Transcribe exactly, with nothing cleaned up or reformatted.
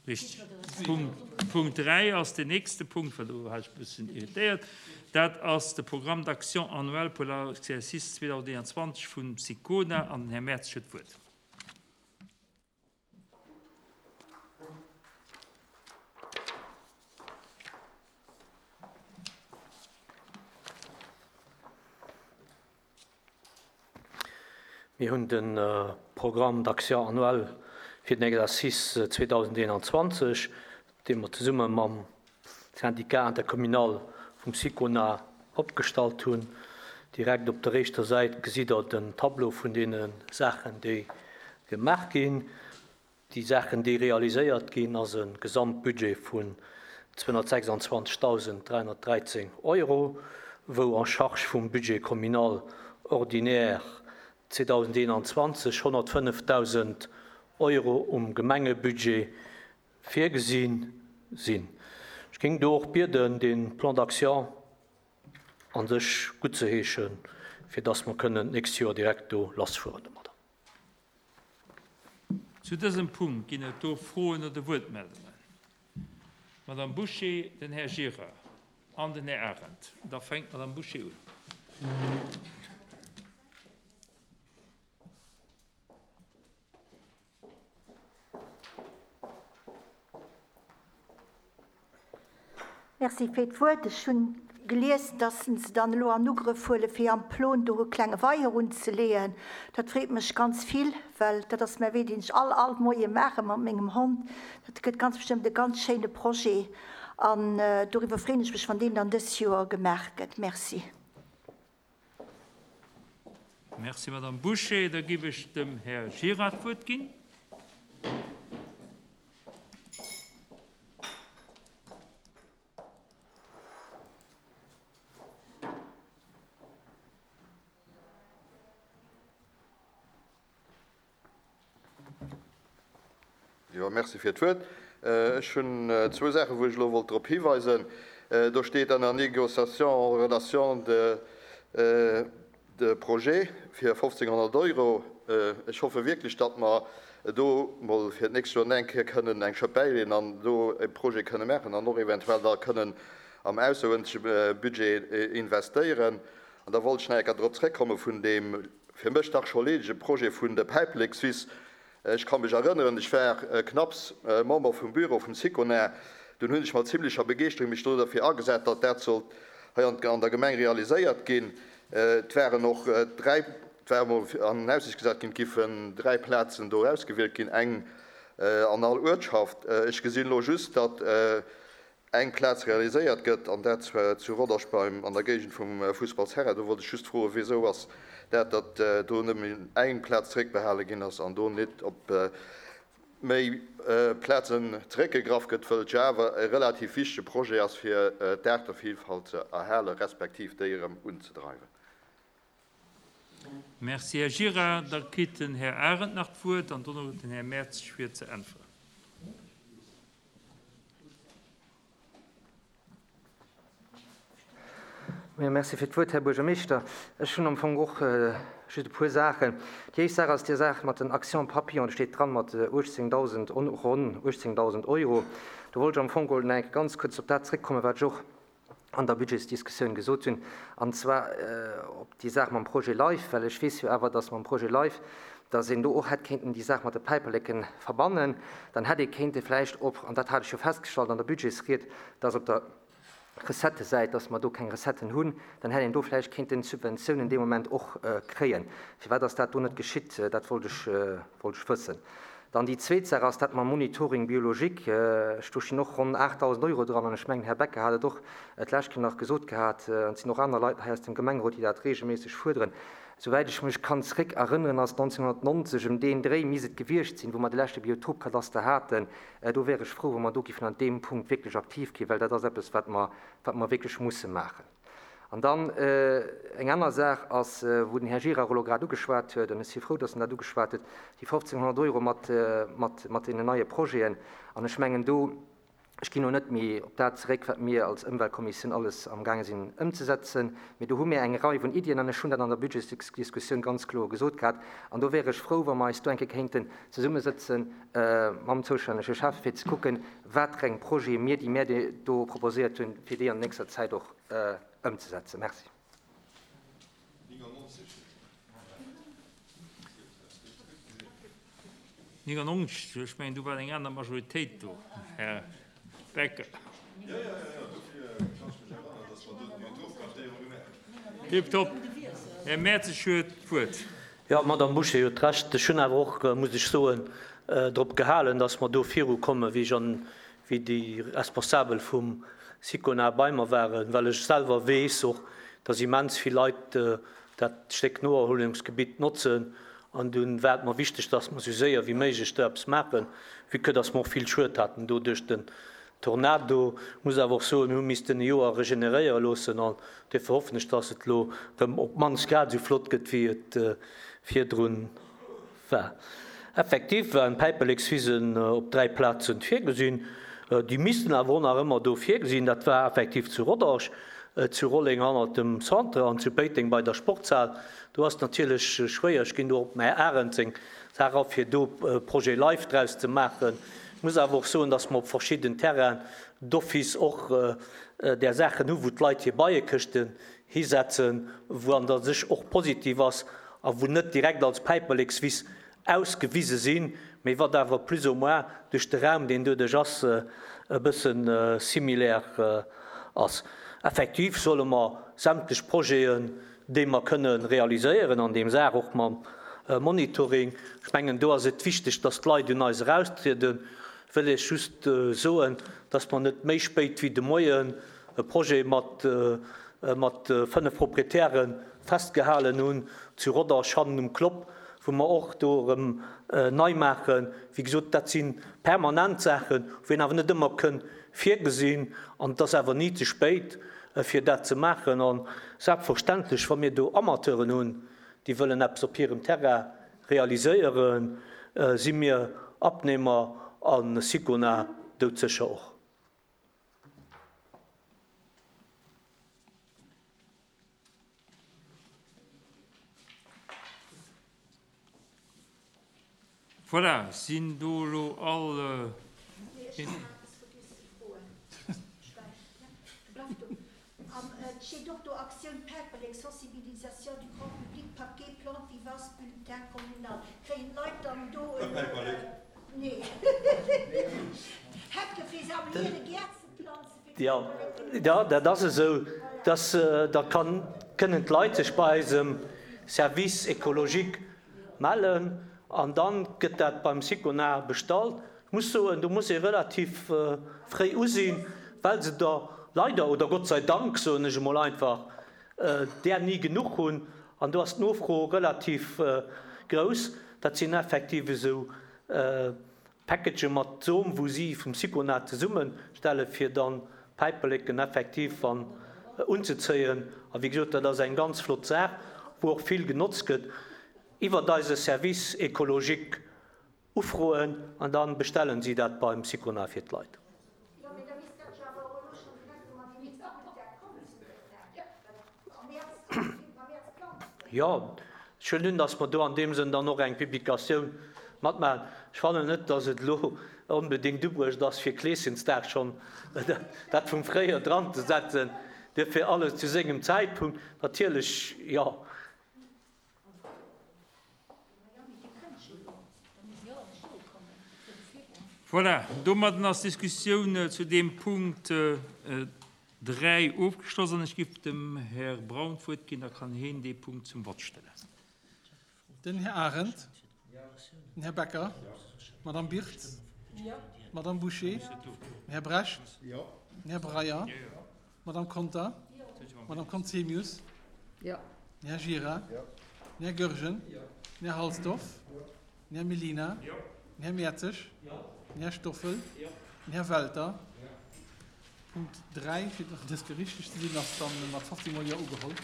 Richteg. Punkt, Punkt dräi ass den nächste Punkt, well do war ech e bëssen irritéiert. Dat ass de Programme d'action annuel pour l'exercice zweedausendeenundzwanzeg vum SICONA an den Här Mertz huet d'Wuert. Mir hunn de Programme d'action annuel fir den Exercice zweedausendeenundzwanzeg, dee mer zesumme mam Syndicat intercommunal vum SICONA opgestallt hunn. Direkt op der éischter Säit gesitt Der den Tableau vun deene Saachen, déi gemaach ginn. Déi Saachen, déi realiséiert ginn, ass e Gesamtbudget vun zweehunnertsechsundzwanzegtausenddräihunnertdräizehn Euro, wou en charge vum Budget communal ordinaire zweedausendeenundzwanzeg honnertfënnefdausend Euro um Gemengebudget virgesinn sinn. Ech géing do och bieden, de Plan d'action an sech gutt ze heeschen, fir dass mer kënnen d'nächst Joer direkt do lassfueren domadder. Zu dësem Punkt ginn et do Froen oder Wuertmeldungen. Madame Bouché, den Här Gira an den Här Arendt. Da fänkt d'Madame Bouché un. Merci fir d'Wuert. Ech hunn gelies, dass se dann elo an Ugrëff huele fir am Plon do e klenge Weier unzeleeën. Dat freet mech ganz vill, well dat ass mäi Wee, deen ech all, all Moie maache mat mengem Hond. Dat gëtt ganz bestëmmt e ganz schéine Projet an doriwwer freeën ech mech, wann deen dann dës Joer gemaach gëtt. Merci. Merci, Madame Bouché. Da gif ech dem Här Gira d'Wuert ginn. Jo, merci fir d'Wuert. Ech hunn zwou Saachen, wou ech elo wollt drop hiweisen. Do steet an der Négociation en relation de, de projet fir fofzénghonnert Euro. Ech hoffe wierklech, datt mer do mol fir d'nächst Joer eng Kéier kënnen eng Schëpp bäileeën an do e Projet kënne maachen an och eventuell da kënnen am ausseruerdentleche Budget investéieren. An da wollt ech nach eng Kéier drop zréckkomme vun deem fir mech dach scho leedege Projet vun de Päiperlek Suisse. Ech ka mech erënneren, ech war knapps Member vum Büro vum SICONA. Dunn hunn ech mat zimmlecher Begeeschterung mech do derfir agesat, datt dat sollt hei an der Gemeng realiséiert ginn. Et waren och dräi, et war emol an Aussicht gesat ginn, et giffen dräi Plazen do ausgewielt ginn, eng an all Uertschaft. Ech gesinn elo just, datt eng Plaz realiséiert gëtt, an dat zwar zu Rodange beim, an der Géigend vum Fussballsterrain. Do wollt ech just froen, wieso ass dat, datt do nëmmen eng Plaz zeréckbehale ginn ass an do net op méi Plazen zeréckgegraff gëtt, wëll et jo awer e relativ wichtege Projet ass, fir d'Aartevielfalt ze erhalen, respektiv déi erëm unzedreiwen. Merci, Här Gira. Da kritt den Här Arendt nach d'Wuert an dono den Här Mertz fir ze äntweren. Ja, merci fir d'Wuert, Här Buergermeeschter. Ech hunn am Fong och just e puer Saachen. Déi éischt Saach ass déi Saach mat den Action Papillon, do steet dran mat uechtzéngdausend, ronn uechtzéngdausend Euro. Do wollt ech am Fong geholl nach ganz kuerz op dat zréckkommen, wat ech och an der Budgetsdiskussioun gesot hunn, an zwar op déi Saach mam Projet LIFE, well ech weess jo awer, dass mam Projet LIFE, dass een do och hätt kéinten déi Saach mat de Päiperleken verbannen, dann hätt ee kéinte vläicht op, an dat hat ech jo festgestallt an der Budgetsried, dass op der Recettesäit, dass mer do keng Recetten hunn, dann hätt een do vläicht kéinten Subventiounen dee Moment och kréien. Firwat ass dat do net geschitt? Dat wollt ech, wollt ech wëssen. Dann déi zweet Saach ass dat mam Monitoring biologique. Ech do stinn och ronn achttausend Euro dran, an ech mengen, Här Becker hat et och d'lescht Kéier nach gesot gehat, an et sinn och aner Leit hei aus dem Gemengerot, déi dat regelméisseg fuerderen. Soweit ech mech kann zréck erënneren, ass neunzehnhundertneunzig ëm deen Dréi misst et gewiescht sinn, wou mer de leschte Biotopkadaster haten. Do wär ech froh, wa mer do giffen an deem Punkt wierklech aktiv ginn, well dat ass eppes, wat mer, wat mer wierklech musse maachen. An dann eng aner Saach ass, wou den Här Gira elo grad ugeschwat huet, an ech si frou, dass en dat ugeschwat huet, déi fofzénghonnert Euro mat, mat, mat deenen neie Projeten. An ech mengen, do Ech ginn och net méi op dat zeréck, wat mir als Ëmweltkommissioun alles amgaange sinn ëmzesetzen, mee do hu mir eng Rei vun Iddien an ech hunn dat an der Budgetsdiskussioun ganz kloer gesot gehat. An do wär ech frou, wa mer eis do eng Kéier kéinten zesummesëtzen mam zoustännege Schäffe fir ze kucken, wat fir eng Projete mir, déi mir do proposéiert hunn, fir déi an nächster Zäit och ëmzesetzen. Merci. neunundneunzig, ech mengen, do war eng aner Majoritéit do, Här Becker. Tipptopp. Här Mertzig huet d'Wuert. Jo, d'Madame Bouché huet Recht. Ech hunn awer och, muss ech soen, drop gehalen, dass mer do virukommen, wéi ech an wéi déi Responsabel vum Sicona bei mer waren, well ech selwer weess och, dass immens vill Leit dat Stéck Noerhuelungsgebitt notzen. An dunn war et mer wichteg, dass mer esou séier wéi méiglech do eppes maachen, vue que dass mer och vill Schued haten do duerch den Tornado. Muss awer och soen, mir hu missten e Joer regeneréiere loossen an duerfir hoffen ech, dass et elo erëm op d'mannst grad esou flott gëtt, wéi et virdrun war. Effektiv waren d'Päiperlekswisen op dräi Plazen virgesinn. Déi missten awer och nach ëmmer do virgesinn. Dat war effektiv zu Rodange, zu Rolleng hannert dem Centre an zu Péiteng bei der Sportshal. Do ass natierlech schwéier, ech ginn do op den Här Arendt seng Saach a fir do Projet Life draus ze maachen. Ech muss awer och soen, dass mer op verschidden Terrainen d'office och där Saachen hu wou d'Leit hir Beiekëschten hisetzen, wou an der sech och positiv ass a wou net direkt als Päiperlekswiss ausgewise sinn, mee wat awer plus ou moins duerch de Raum, deen doduerch ass, e bësse similaire ass. Effektiv solle mer sämtlech Projeten, déi mer kënne realiséieren, an deem Saach och mam Monitoring, ech mengen, do ass et wichteg, dass d'Leit un eis eraustrieden, wëll ech just soen, dass mer net méi spéit wéi de Moien e Projet mat mat fënnef Proprietäre festgehalen hunn, zu Rodange hannen um Klopp, wou mer och do erëm nei maachen. Wéi gesot, dat si permanent Saachen, wou een awer net ëmmer kënn virgesinn, an et ass awer ni ze spéit, fir dat ze maachen. A selbstverständlech, wa mir do Amateuren hunn, déi wëllen eppes op hirem Terrain realiséieren, si mir Abnehmer a Sicona doudsécher och. Voilà, sinn do elo all. Et steet och do Aktioun Päiperlek, Sensibilisation du grand public, Paquet plante vivace, bulletin communal. Kréien d'Leit dann do elo, nee, Hecke fir se an hire Gäert ze planzen, fir Jo, jo, dat ass esou, dass da kann, kënnen d'Leit sech bei eisem Service écologique mellen an dann gëtt dat beim Sicona bestallt. Ech muss soen, do muss ee relativ fréi usinn, well se der leider, oder Gott sei Dank, soen ech emol einfach, där ni genuch hunn. An do ass d'Nofro relativ grouss. Dat sinn effektiv esou Packagë mat Som, wou si vum Sicona zesummestelle fir dann Päiperleken effektiv an unzezéien. A wéi gesot, dat ass eng ganz flott Saach, wou och vill genotzt gëtt. Iwwert eise Service écologique ufroen an da bestellen si dat beim Sicona fir d'Leit. Jo, ech huelen un, datt mer do an deem Sënn dann och eng Publikatioun matmaachen. Ech fannen net, datt et elo onbedéngt ubruecht ass, fir Kleeschensdag schonn dat vum Fréijoer dranzesetzen. Duerfir alles zu sengem Zäitpunkt. Natierlech, jo. Voilà, domadden ass d'Diskussioun zu deem Punkt dräi ofgeschloss an ech giff dem Här Braun d'Wuert ginn, da kann heen dee Punkt zum Vott stellen. Den Här Arendt. Den Här Becker. D'Madame Birtz. D'Madame Bouché. Den Här Brecht. Den Här Breyer. D'Madame Conter. D'Madame Conzemius. Den Här Gira. Den Här Goergen. Den Här Halsdorf. Den Här Mellina. Den Här Mertzig. Den Här Stoffel. Den Här Welter. Punkt dräi, fir dës Gericht ze sinn, ass dann mat fofzéng Mol Jo ugeholl.